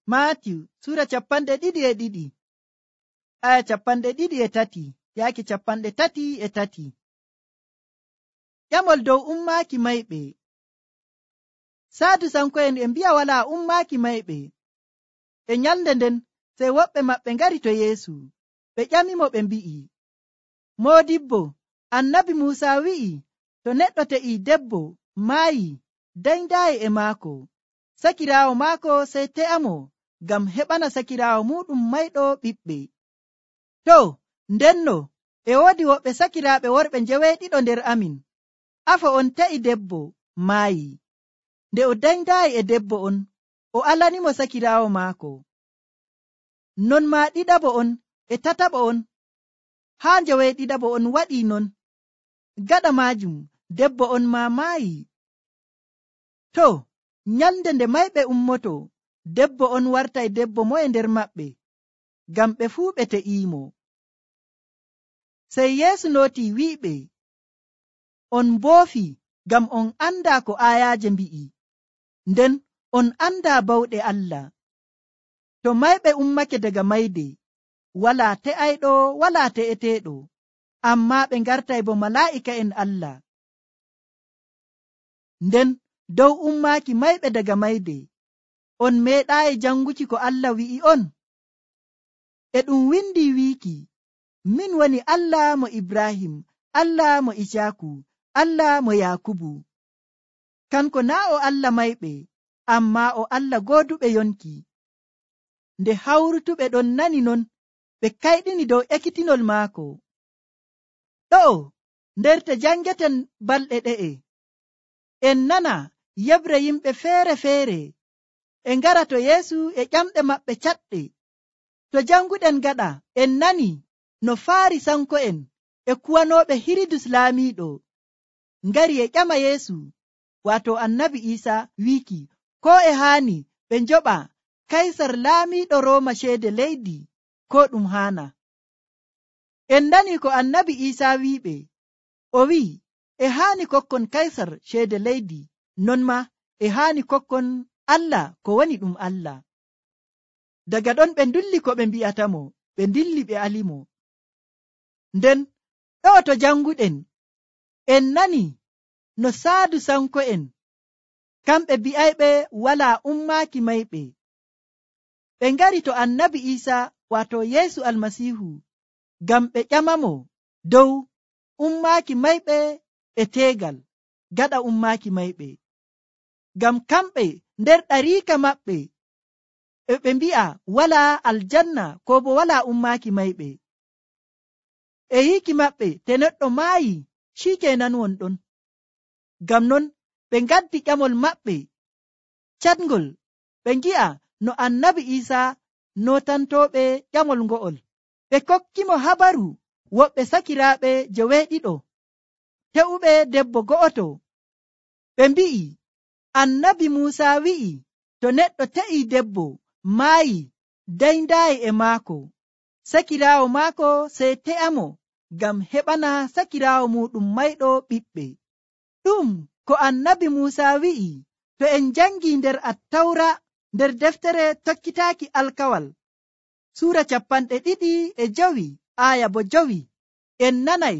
Maatiyu sura 22 aya 23 yaaki 33. Ƴamol dow ummaaki mayɓe. Sadusanko'en e mbi'a walaa ummaaki mayɓe. E nyalnde nden sey woɓɓe maɓɓe ngari to Yeesu. Ɓe ƴamimo ɓe mbi'i, Moodibbo, annabi Muusa wi'i, to neɗɗo te'ii debbo maayi, dayndaayi e maako, sakiraawo maako sey te'amo ngam heɓana sakiraawo muɗum mayɗo ɓiɓɓe. To, ndenno e woodi woɓɓe sakiraaɓe worɓe njeweeɗiɗo nder amin. Afa on te'i debbo maayi. Nde o dayndaayi e debbo on, o alanimo sakiraawo maako. Non maa ɗiɗaɓo on e tataɓo on, haa njeweeɗiɗaɓo on waɗii non. Gaɗa maajum debbo on maa maayi. To, nyalnde nde mayɓe ummoto, debbo on wartay debbo moye nder maɓɓe, ngam ɓe fuu ɓe te'iimo. Sey Yeesu nootii wi'iɓe, on mboofi ngam on andaa ko aayaaje mbi'i, nden on andaa bawɗe Allah. To mayɓe ummake daga mayde, walaa te'ayɗo, walaa te'eteeɗo, ammaa ɓe ngartay bo malaa'ika'en Allah. Nden dow ummaaki mayɓe daga mayde, on meeɗaayi janguki ko Allah wi'i on? E ɗum windi wiiki, min woni Allah mo Ibrahim, Allah mo Isaaku, Allah mo Yakubu. Kanko naa o Allah mayɓe, ammaa o Allah gooduɓe yonki. Nde hawrutuɓe ɗon nani non, ɓe kayɗini dow ekkitinol maako. Ɗo'o nder te jangeten balɗe ɗe'e, en nana yebre yimɓe feere-feere e ngara to Yeesu e ƴamɗe maɓɓe caɗɗe. To janguɗen gaɗa, en nani no Faarisanko'en e kuwanooɓe Hirudus laamiiɗo ngari e ƴama Yeesu, waato annabi Iisa, wiiki koo e haani ɓe njoɓa Kaysar laamiiɗo Rooma ceede leydi, koo ɗum haana. En nani ko annabi Iisa wi'iɓe, o wi'i e haani kokkon Kaysar ceede leydi, non maa e haani kokkon Allah ko woni ɗum Allah. Daga ɗon ɓe ndulli ko ɓe mbi'atamo, ɓe ndilli ɓe alimo. Nden ɗo to janguɗen, en nani no Sadusanko'en, kamɓe bi'ayɓe walaa ummaaki mayɓe. Ɓe ngari to annabi Iisa, waato Yeesu Almasiihu, ngam ɓe ƴamamo dow ummaaki mayɓe e teegal gaɗa ummaaki mayɓe. Ngam kamɓe nder ɗariika maɓɓe e ɓe mbi'a walaa aljanna koo bo walaa ummaaki mayɓe. E yiiki maɓɓe te neɗɗo maayi, ciikeenan wonɗon. Ngam non ɓe ngaddi ƴamol maɓɓe catngol, ɓe ngi'a no annabi Iisa nootantooɓe ƴamol ngo'ol. Ɓe kokkimo habaru woɓɓe sakiraaɓe joweeɗiɗo te'uɓe debbo go'oto. Ɓe mbi'i, annabi Muusa wi'i, to neɗɗo te'ii debbo maayi, dayndaayi e maako, sakiraawo maako sey te'amo ngam heɓana sakiraawo muɗum mayɗo ɓiɓɓe. Ɗum ko annabi Muusa wi'i, to en jangii nder Attawra, nder deftere tokkitaaki alkawal, suura 25 aya bo 5, en nanay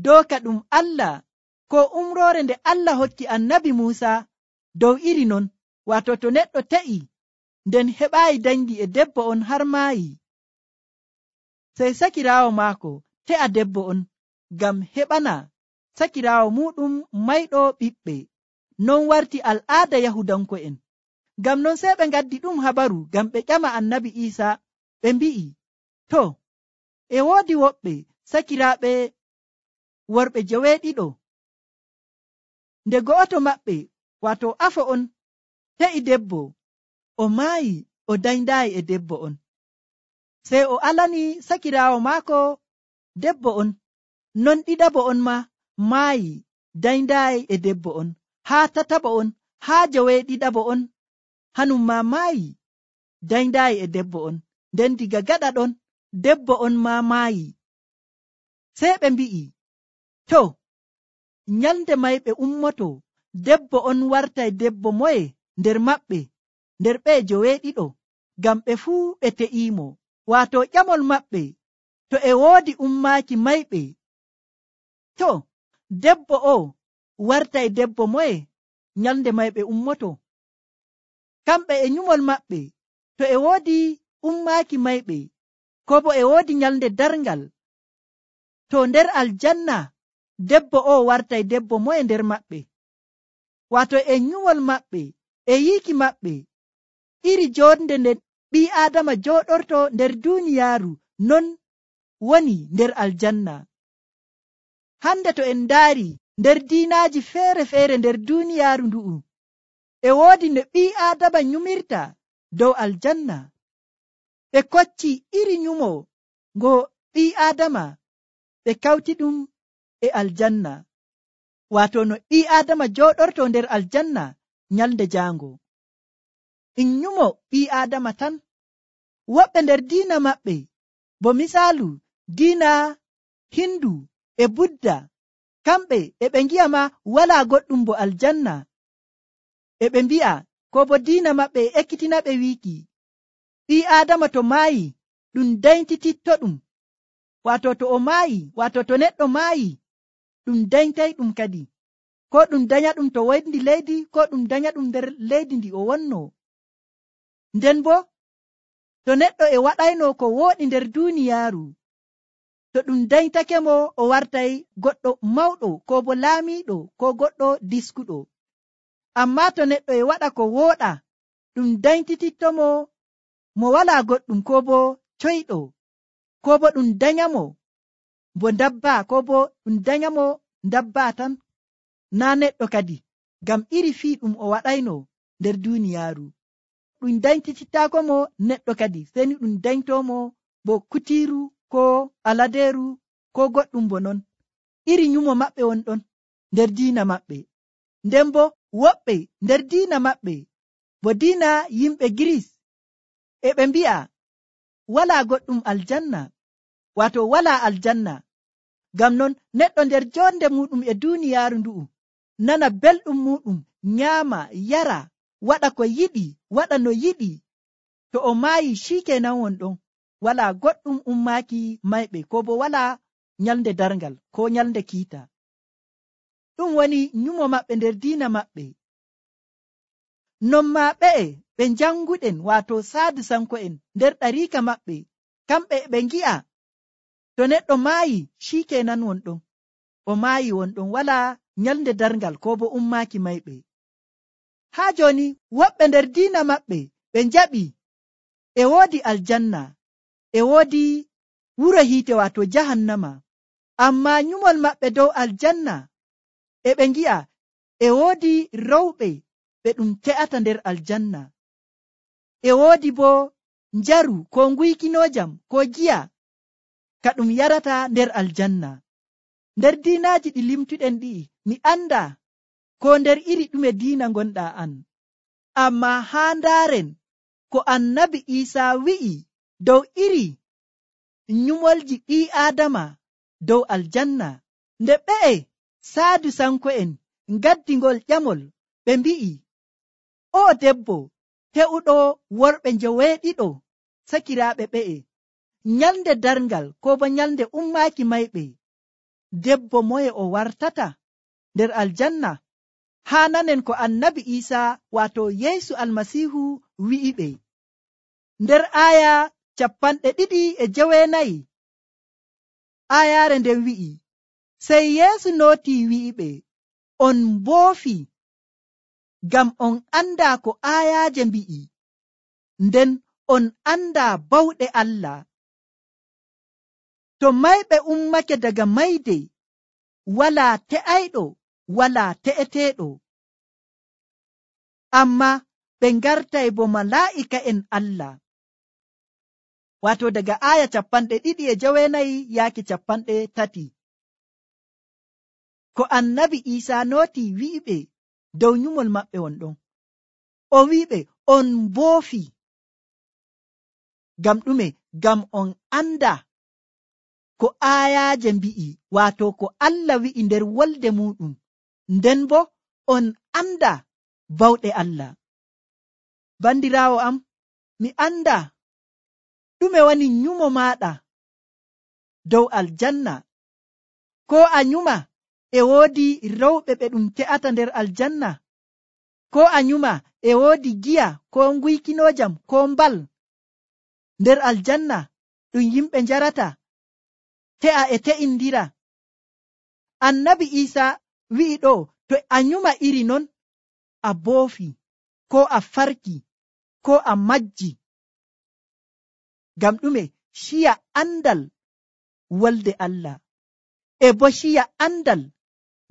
dooka ɗum Allah ko umroore nde Allah hokki annabi Muusa dow iri non, waato to neɗɗo te'i nden heɓaayi dangi e debbo on har maayi, sey sakiraawo maako te'a debbo on ngam heɓana sakiraawo muɗum mayɗo ɓiɓɓe. Non warti al'aada Yahudanko'en. Ngam non sey ɓe ngaddi ɗum habaru ngam ɓe ƴama annabi Iisa, ɓe mbi'i, to, e woodi woɓɓe sakiraaɓe worɓe joweeɗiɗo, nde go'oto maɓɓe, waato afa on, te'i debbo, o maayi, o dayndaayi e debbo on. Sey o alani sakiraawo maako debbo on, non ɗiɗaɓo on maa maayi, dayndaayi e debbo on, haa tataɓo on, haa joweeɗiɗaɓo on, hanum maa maayi, dayndaayi e debbo on. Nden diga gaɗa ɗon, debbo on maa maayi. Sey ɓe mbi'i, to, nyalnde mayɓe ummoto, debbo on wartay debbo moye nder maɓɓe, nder ɓe joweeɗiɗo? ngam ɓe fuu ɓe te'iimo. Waato ƴamol maɓɓe to e woodi ummaaki mayɓe, to debbo o wartay debbo moye nyalnde mayɓe ummoto? Kamɓe e nyumol maɓɓe to e woodi ummaaki mayɓe, ko bo e woodi nyalnde darngal, to nder aljanna debbo o wartay debbo moye nder maɓɓe? Waato e nyumol maɓɓe e yiiki maɓɓe iri jonde nde ɓii aadama jooɗorto nder duuniyaaru non woni nder aljanna. Hande to en ndaari nder diinaaji feere-feere nder duuniyaaru ndu'u, e woodi no ɓii aadama nyumirta dow aljanna. Ɓe kocci iri nyumo ngo ɓii aadama ɓe kawti ɗum e aljanna, waato no ɓii aadama jooɗorto nder aljanna nyalnde jaango. In nyumo ɓii aadama tan. Woɓɓe nder diina maɓɓe, bo misaalu diina hindu e budda, kamɓe e ɓe ngi'a ma walaa goɗɗum bo aljanna. E ɓe mbi'a, ko bo diina maɓɓe e ekkitina ɓe wiiki ɓii aadama to maayi ɗum dayntititto ɗum. Waato to o maayi, waato to neɗɗo maayi ɗum dayntay ɗum kadi, ko ɗum danya ɗum to woyndi leydi, ko ɗum danya ɗum nder leydi ndi o wonno. Nden bo to neɗɗo e waɗayno ko wooɗi nder duuniyaaru, to ɗum dayntake mo o wartay goɗɗo mawɗo, ko bo laamiiɗo, ko goɗɗo diskuɗo. Amma to neɗɗo e waɗa ko wooɗa, ɗum dayntititto mo walaa goɗɗum, ko bo coyɗo, ko bo ɗum danyamo bo ndabba, ko bo ɗum danyamo ndabba tan, naa neɗɗo kadi, ngam iri fii ɗum o waɗayno nder duuniyaaru. Ɗum dayntitittaako mo neɗɗo kadi, seni ɗum dayntoomo bo kutiiru, ko aladeeru, ko goɗɗum bo non. Iri nyumo maɓɓe won ɗon nder diina maɓɓe. Nden bo woɓɓe nder diina maɓɓe, bo diina yimɓe Giris, e ɓe mbi'a walaa goɗɗum aljanna, waato walaa aljanna. Ngam non neɗɗo nder jonde muɗum e duuniyaaru ndu'u nana belɗum muɗum, nyaama, yara, waɗa ko yiɗi, waɗa no yiɗi. To o maayi shikenan won ɗon, walaa goɗɗum ummaaki mayɓe, ko bo walaa nyalnde darngal, ko nyalnde kiita. Ɗum woni nyumo maɓɓe nder diina maɓɓe. Non maa ɓe janguɗen, waato sadusanko'en nder ɗariika maɓɓe, kamɓe ɓe ngi'a to neɗɗo maayi shikenan won ɗon, o maayi won ɗon, walaa nyalnde darngal, ko bo ummaaki mayɓe. Haa joni woɓɓe nder diina maɓɓe ɓe njaɓi e woodi aljanna, e woodi wuro hiite, waato jahannama. Amma nyumol maɓɓe dow aljanna e ɓe ngi'a e woodi rewɓe ɓe ɗum te'ata nder aljanna, e woodi bo njaru, ko nguykinojam, ko giya ka ɗum yarata nder aljanna. Nder diinaaji ɗi limtuɗen ɗi'i, mi anda ko nder iri ɗume diina gonɗa an, amma haa ndaaren ko annabi Iisaa wi'i dow iri nyumolji ɓii aadama dow aljanna, nde ɓe'e sadusanko'en ngaddingol ƴamol, ɓe mbi'i, o debbo he'uɗo worɓe njoweeɗiɗo sakiraaɓe ɓe'e, nyalnde darngal, ko bo nyalnde ummaaki mayɓe, debbo moye o wartata nder aljanna? Haa nanen ko annabi Iisaa, waato Yeesu almasiihu wi'i ɓe nder aaya 24, aayaare nden wi'i, sey Yeesu nootii wi'i ɓe, on mboofi ngam on andaa ko aayaaje mbi'i, nden on andaa bawɗe Allah. To mayɓe ummake daga mayde, walaa te'ayɗo, walaa te'eteeɗo, amma ɓe ngartay bo malaa'ika'en Allah. Waato daga aaya 29 yaaki 30. Ko annabi Iisaa nooti wi'iɓe dow nyumol maɓɓe won ɗon. O wi'iɓe on mboofi. Ngam ɗume? Ngam on anda ko aayaaje mbi'i, waato ko Allah wi'i nder wolde muɗum, nden bo on anda bawɗe Allah. Bandiraawo am, mi anda ɗume woni nyumo maɗa dow aljanna, ko a nyuma e woodi rewɓe ɓe ɗum te'ata nder aljanna, ko a nyuma e woodi giya ko nguykinojam ko mbal nder aljanna ɗum yimɓe njarata te'a e te'indira. Annabi Isa wi'i ɗo, to a nyuma iri non a boofi ko a farki ko a majji. Ngam ɗume? Ciya andal wolde Allah e bo ciya andal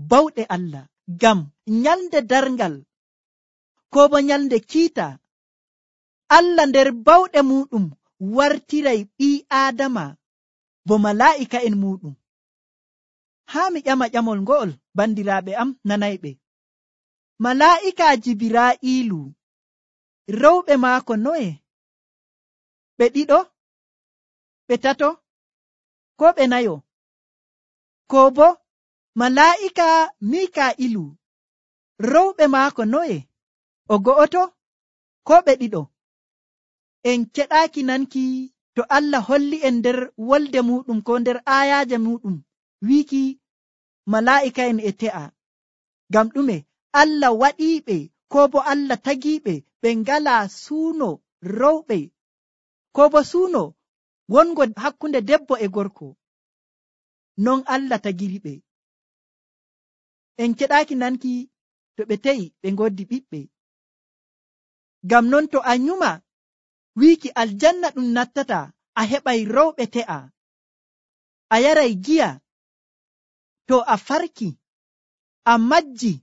bawɗe Allah. Ngam nyalde darngal ko bo nyalde kiita, Allah nder bawɗe muɗum wartiray ɓii Aadama bo malaa'ika'en muɗum. Haa mi ƴama ƴamol ngo'ol, bandiraaɓe am nanayɓe. Malaa'ika Jibiraa'iilu rewɓe maako noye? Ɓe ɗiɗo, ɓe tato, ko ɓe nayo? Ko bo malaa'ika Mikaa'ilu rewɓe maako noye? O go'oto, ko ɓe ɗiɗo? En keɗaaki nanki to Allah holli en nder wolde muɗum ko nder aayaaje muɗum wiiki malaa'ika'en e te'a. Ngam ɗume? Allah waɗiiɓe ko bo Allah tagiiɓe ɓe ngalaa suuno rewɓe ko bo suuno wongo hakkunde debbo e gorko. Non Allah tagiriɓe. En keɗaaki nanki to ɓe te'i ɓe ngoddi ɓiɓɓe. Ngam non to a nyuma wiiki aljanna ɗum nattata, a heɓay rewɓe te'a, a yaray giya, to a farki a majji,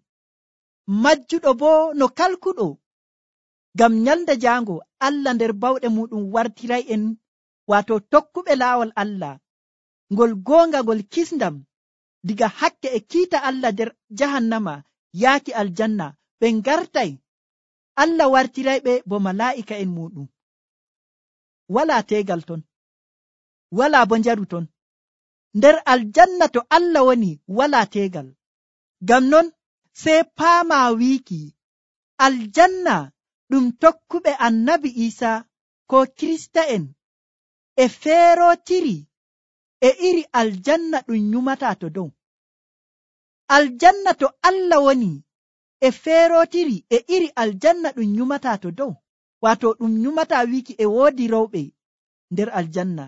majjuɗo bo no kalkuɗo. Ngam nyalde jaango Allah nder bawɗe muɗum wartiray en, wato tokkuɓe laawol Allah ngol goonga ngol kisndam diga hakke e kiita Allah nder jahannama yaaki aljanna. Ɓe ngartay, Allah wartirayɓe bo malaa'ika'en muɗum. Walaa teegal ton, walaa bo njaru ton. Nder aljanna to Allah woni walaa teegal. Ngam non sey paamaa wiiki aljanna ɗum tokkuɓe annabi Isa ko Kirista'en e feerotiri e iri aljanna ɗum nyumata to dow. Aljanna to Allah woni e feerotiri e iri aljanna ɗum nyumata to dow. Wato ɗum nyumata wiiki e woodi rewɓe nder aljanna,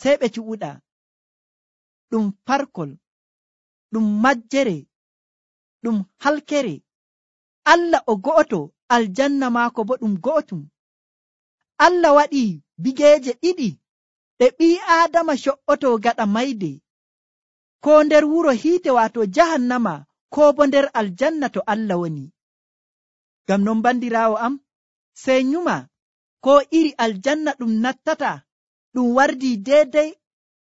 sey ɓe cuɓuɗa. Ɗum parkol, ɗum majjere, ɗum halkere. Allah o go'oto, aljanna maako bo ɗum go'otum. Allah waɗi bigeeje ɗiɗi ɗe ɓii Aadama co'oto gaɗa mayde, ko nder wuro hiite wato jahannama, ko bo nder aljanna to Allah woni. Ngam non bandiraawo am, sey nyuma ko iri aljanna ɗum nattata ɗum wardi deedey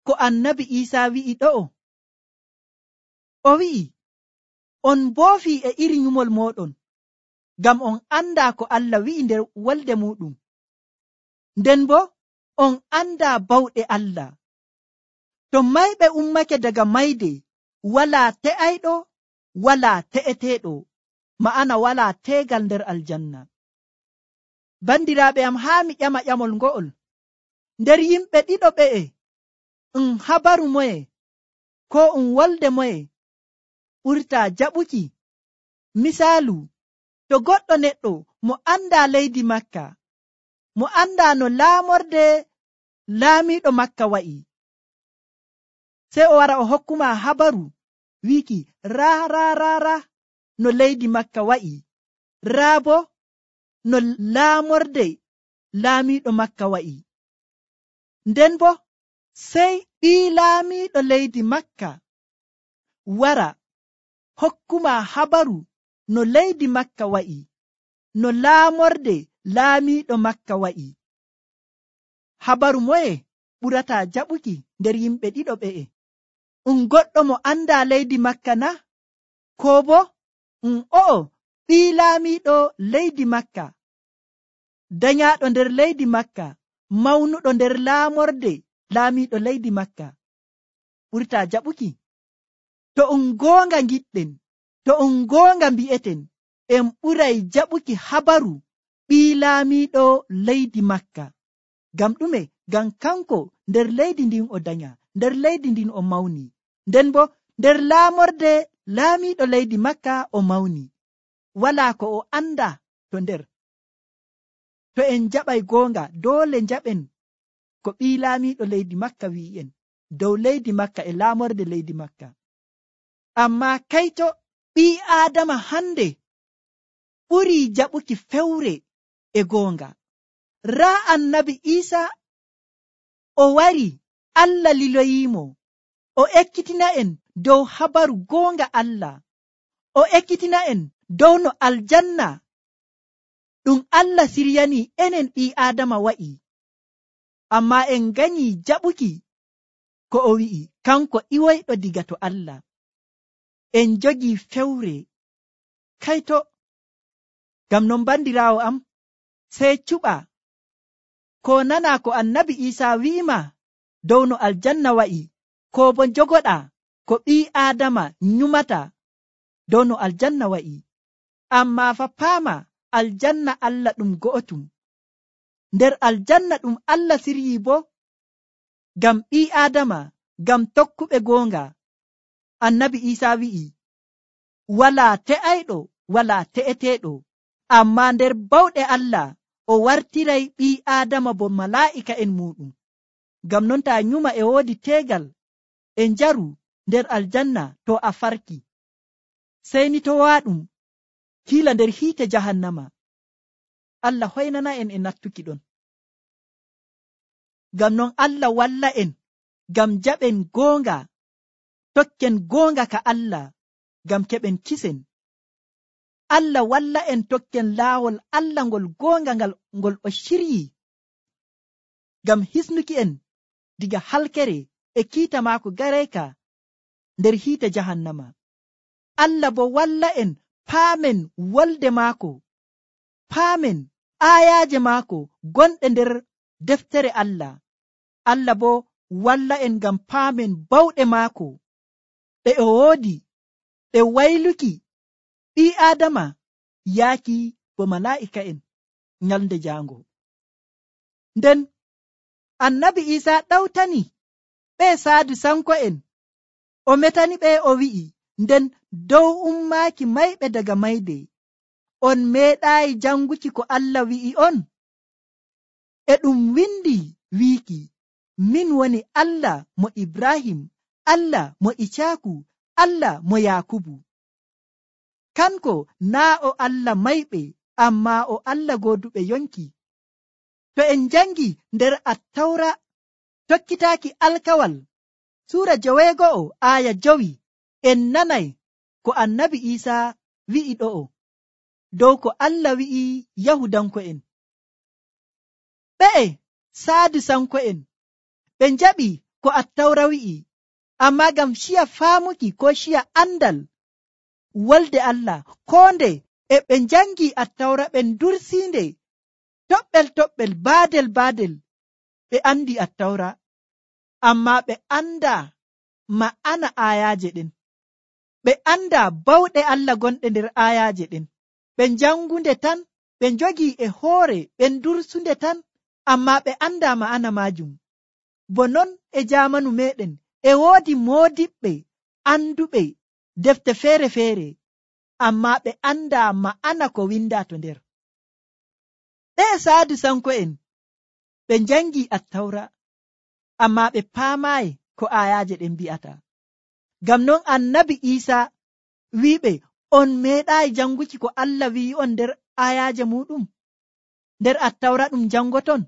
ko annabi Isa wi'i ɗo'o. O wi'i, on mboofi e iri nyumol moɗon, ngam on anda ko Allah wi'i nder wolde muɗum, nden bo on anda bawɗe Allah. To mayɓe ummake daga mayde, walaa te'ayɗo, walaa te'eteeɗo, ma'ana walaa teegal nder aljanna. Bandiraaɓe am, haa mi ƴama ƴamol ngo'ol. Nder yimɓe ɗiɗo ɓe'e, habaru moye ko wolde moye ɓurtaa jaɓuki? Misaalu, to goɗɗo neɗɗo mo anda leydi Makka, mo anda no laamorde laamiiɗo Makka wa'i, sey o wara o hokkuma habaru wiiki raa no leydi Makka wa'i, raa bo no laamorde laamiiɗo Makka wa'i. Nden bo sey ɓii laamiiɗo leydi Makka wara hokkuma habaru no leydi Makka wa'i, no laamorde laamiiɗo Makka wa'i. Habaru moye ɓurataa jaɓuki nder yimɓe ɗiɗo ɓe'e? Goɗɗo mo anda leydi Makka na? Ko bo o'o ɓii laamiiɗo leydi Makka, danyaaɗo nder leydi Makka, mawnuɗo nder laamorde laamiiɗo leydi Makka, ɓurtaa jaɓuki? To goonga giɗɗen, to goonga mbi'eten, en ɓuray jaɓuki habaru ɓii laamiiɗo leydi Makka. Ngam ɗume? Ngam kanko nder leydi ndin o danya, nder leydi ndin o mawni, nden bo nder laamorde laamiiɗo leydi Makka o mawni. Walaa ko o anda to nder. To en jaɓay goonga, doole njaɓen ko ɓii laamiiɗo leydi Makka wi'i'en dow leydi Makka e laamorde leydi Makka. Ammaa kayto ɓii Aadama hande ɓurii jaɓuki fewre e goonga. Raa annabi Iisaa o wari, Allah liloyiimo, o ekkitina en dow habaru goonga Allah, o ekkitina en dow no aljanna ɗum Allah siryani enen ɓii Aadama wa'i. Ammaa en nganyii jaɓuki ko o wi'i, kanko iwoyɗo diga to Allah. En jogii fewre. Kayto, ngam non bandiraawo am, sey cuɓa ko nana ko annabi Iisaa wi'ima dow no aljanna wa'i, ko bo jogoɗa ko ɓii Aadama nyumata dow no aljanna wa'i. Ammaa fa paama, aljanna Allah ɗum go'otum. Nder aljanna ɗum Allah siryii bo ngam ɓii Aadama, ngam tokkuɓe goonga. Annabi Iisaa wi'i, walaa te'ayɗo, walaa te'eteeɗo, ammaa nder bawɗe Allah o wartiray ɓii Aadama bo malaa'ika'en muuɗum. Ngam non taa nyuma e woodi teegal e njaru nder aljanna, to a farki, sey ni to waaɗum kiila nder hiite jahannama. Allah hoynana en e nattuki ɗon. Ngam non Allah walla en ngam jaɓen goonga, tokken goonga ka Allah ngam keɓen kisen. Allah walla en tokken laawol Allah ngol goonga ngol o shiryi ngam hisnuki en diga halkere e kiita maako gareyka nder hiite jahannama. Allah bo walla en paamen wolde maako, paamen aayaaje maako gonɗe nder deftere Allah. Allah bo walla en ngam paamen bawɗe maako ɗe o woodi ɗe wayluki ɓii Aadama yaaki bo malaa'ika'en nyalnde jaango. Nden annabi Iisaa ɗawtani ɓe saadu sanko'en, o metani ɓe o wi'i, nden dow ummaaki mayɓe daga mayde, on meeɗaayi janguki ko Allah wi'i on? E ɗum windi wiiki, min woni Allah mo Ibrahim, Allah mo Icaaku, Allah mo Yaakubu. Kanko naa o Allah mayɓe, ammaa o Allah gooduɓe yonki. To en jangi nder Attawra tokkitaaki alkawal suura 9 aaya 5, en nanay ko annabi Iisaa wi'i ɗo'o dow ko Allah wi'i Yahudanko'en. Ɓe'e saadu sanko'en ɓe njaɓi ko Attawra wi'i, ammaa ngam ciya faamuki ko ciya andal wolde Allah, koo nde e ɓe njangi Attawra ɓe dursiinde toɓɓel baadel ɓe andi Attawra, ammaa ɓe anda ma'ana aayaaje ɗen, ɓe anda bawɗe Allah gonɗe nder aayaaje ɗen. Ɓe njangunde tan, ɓe njogii e hoore, ɓe dursunde tan, ammaa ɓe anda ma'ana maajum. Bo non e jaamanu meɗen e woodi moodiɓɓe anduɓe defte feere-feere, ammaa ɓe anda ma'ana ko winda to nder. Ɓe saadu sanko'en ɓe njangi Attawra, ammaa ɓe paamaayi ko aayaaje ɗen mbi'ata. Ngam non annabi Iisaa wi'iɓe, on meeɗaayi janguki ko Allah wi'i on nder aayaaje muɗum, nder Attawra ɗum jangoton.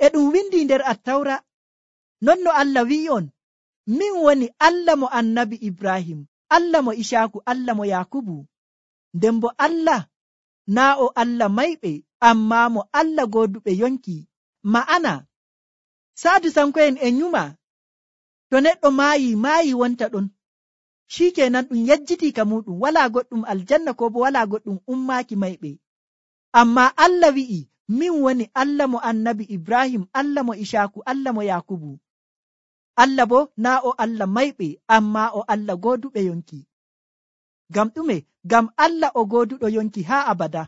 E ɗum windi nder Attawra, non no Allah wi'i on, min woni Allah mo annabi Ibrahim, Allah mo Icaaku, Allah mo Yaakubu. Nden bo Allah naa o Allah mayɓe, ammaa mo Allah gooduɓe yonki. Ma'ana saadu sanko'en e nyuma, to neɗɗo maayi wonta ɗon, shikenan ɗum yejjitii ka muɗum, walaa goɗɗum aljanna ko bo walaa goɗɗum ummaaki mayɓe. Ammaa Allah wi'i, min woni Allah mo annabi Ibrahim, Allah mo Icaaku, Allah mo Yaakubu. Allah bo naa o Allah mayɓe, ammaa o Allah gooduɓe yonki. Ngam ɗume? Ngam Allah o gooduɗo yonki haa abada.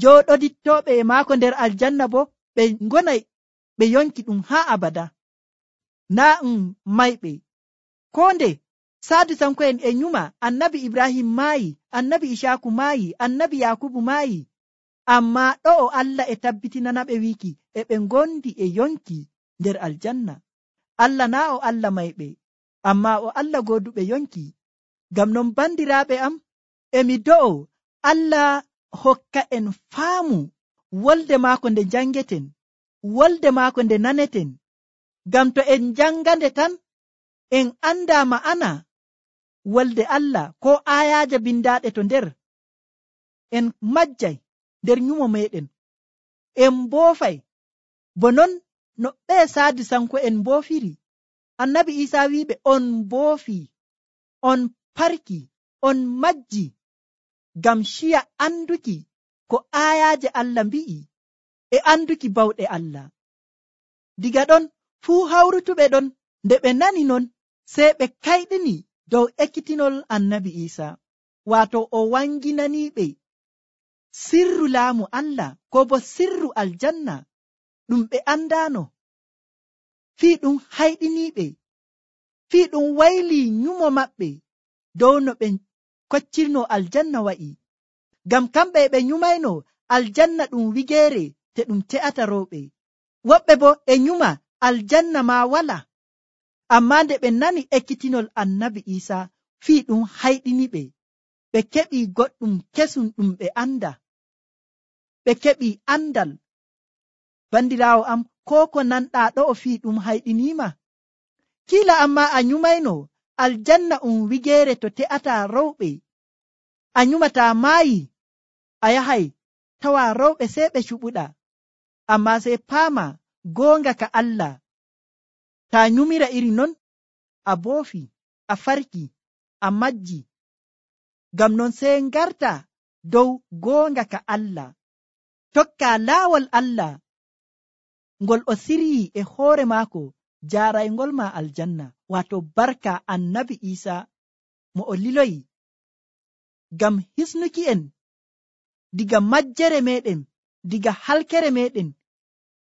jooɗodittooɓe e maako nder aljanna bo ɓe ngonay ɓe yonki ɗum haa abada, naa mayɓe. Ko nde Sadusanko'en e nyuma annabi Ibrahim maayi, annabi Ishaku maayi, annabi Yakubu maayi, ammaa ɗo'o Allah e tabbitinanaɓe wiiki e ɓe ngondi e yonki nder aljanna. Allah naa o Allah mayɓe, ammaa o Allah gooduɓe yonki. Ngam non bandiraaɓe am, emi do'o Allah hokka en faamu wolde maako nde jangeten, wolde maako nde naneten, ngam to en jangande tan en anda ma'ana wolde Allah ko ayaaje bindaaɗe to nder, en majjay nder nyumo meɗen, en mboofay bo non no ɓe Sadusanko en mboofiri. Annabi Isa wiɓe on mboofi, on parki, on majji ngam shiya anduki ko ayaaje Allah mbi'i e anduki bawɗe Allah. Diga ɗon fuu hawrutuɓe ɗon nde ɓe nani non, sey ɓe kayɗini dow ekkitinol annabi Isa, waato o wanginaniɓe sirru laamu Allah ko bo sirru aljanna ɗum ɓe andano. Fii ɗum hayɗiniɓe, fii ɗum wayli nyumo maɓɓe dow no ɓe koccirno aljanna wa'i, ngam kamɓe ɓe nyumayno aljanna ɗum wigeere te ɗum te'ata rewɓe. Woɓɓe bo e nyuma aljanna ma wala, amma nde ɓe nani ekkitinol annabi Isa, fii ɗum hayɗiniɓe, ɓe keɓi goɗɗum kesum ɗum ɓe anda, ɓe keɓi andal. Bandiraawo am, ko ko nanɗa ɗo'o fii ɗum hayɗinima, kiila amma a nyumayno aljanna wigeere to te'ata rewɓe, a nyumata maayi, a yahay tawa rewɓe sey ɓe cuɓuɗa, amma sey paama goonga ka Allah, ta nyumira iri non a boofi, a farki, a majji. Ngam non sey ngarta dow goonga ka Allah, tokka laawol Allah ngol o siryi e hoore maako jaaraygol ma aljanna, waato barka annabi Isa mo o liloyi ngam hisnuki en diga majjere meɗen, diga halkere meɗen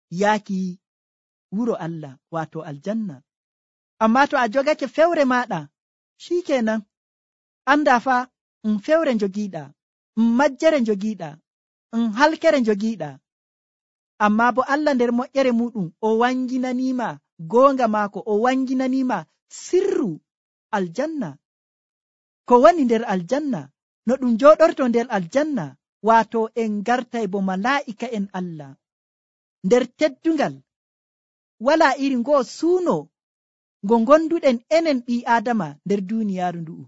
yaaki wuro Allah, waato aljanna. Amma to a jogake fewre maɗa, shikenan anda fa fewre jogiiɗa, majjere jogiiɗa, halkere jogiiɗa. Amma bo Allah nder moƴƴere muɗum o wanginanima goonga maako, o wanginanima sirru aljanna, ko woni nder aljanna, no ɗum joɗorto nder aljanna, waato en gartay bo malaa'ika en Allah nder teddungal. Wala iri ngo suuno ngo gonduɗen enen ɓi Adama nder duniyaaru ndu'u.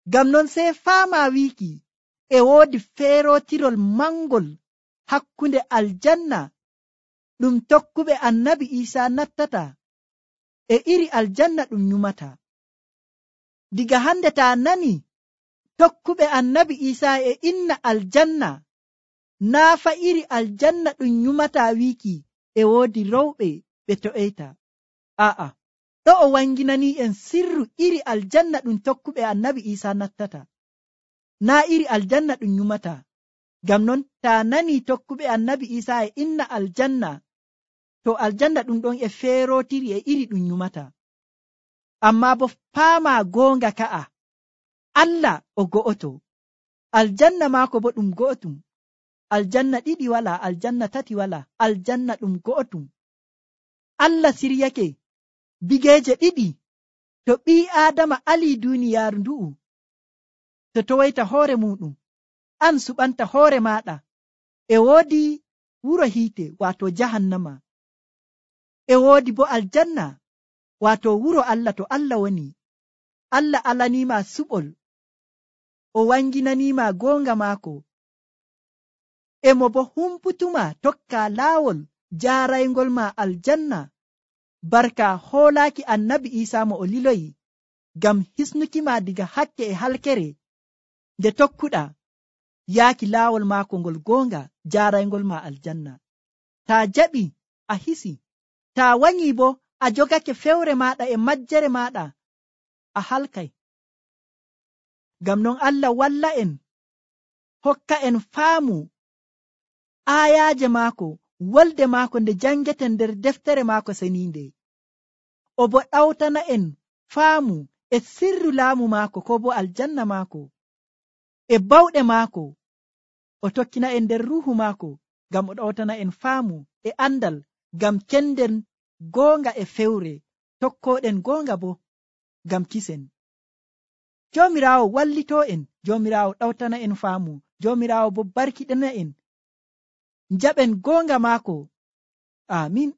Ngam non sey faama wiiki e woodi feerotirol mangol hakkunde aljanna ɗum tokkuɓe annabi Isa nattata e iri aljanna ɗum nyumata. Diga hande ta nani tokkuɓe annabi Isa e inna aljanna, naafa iri aljanna ɗum nyumata wiiki e woodi rewɓe ɓe to'eyta. A'a, ɗo o wanginani en sirru iri aljanna ɗum tokkuɓe annabi Isa nattata, naa iri aljanna ɗum nyumata. Ngam non ta nani tokkuɓe annabi Isa e inna aljanna, to aljanna ɗum ɗon e feerotiri e iri ɗum nyumata. Amma bo paama goonga ka'a, Allah o go'oto, aljanna maako bo ɗum go'otum, aljanna ɗiɗi wala, aljanna tati wala, aljanna ɗum go'otum. Allah siryake bigeeje ɗiɗi to ɓi Adama ali duniyaaru ndu'u, to towoyta hoore muɗum, an suɓanta hoore maɗa, e woodi wuro hiite waato jahannama, e woodi bo aljanna waato wuro Allah to Allah woni. Allah alanima suɓol, o wanginanima goonga maako, emo bo humputuma tokka laawol jaaraygol ma aljanna, barka hoolaaki annabi Isa mo o liloyi ngam hisnukima diga hakke e halkere nde tokkuɗa yaaki laawol maako ngol goonga, jaaraygol ma aljanna. Ta jaɓi a hisi, ta wanyi bo a jogake fewre maɗa e majjere maɗa, a halkay. Ngam non Allah walla en hokka en faamu aayaaje maako wolde maako nde jangeten nder deftere maako seniinde. O bo ɗawtana en faamu e sirru laamu maako ko bo aljanna maako e bawɗe maako. O tokkina en nder ruuhu maako ngam o ɗawtana en faamu e andal ngam kenden goonga e fewre tokkoɗen goonga bo ngam kisen. Joomiraawo wallitoo en, Joomiraawo ɗawtana en faamu, Joomiraawo bo barkiɗina en. Njaɓen goonga maako. Amin.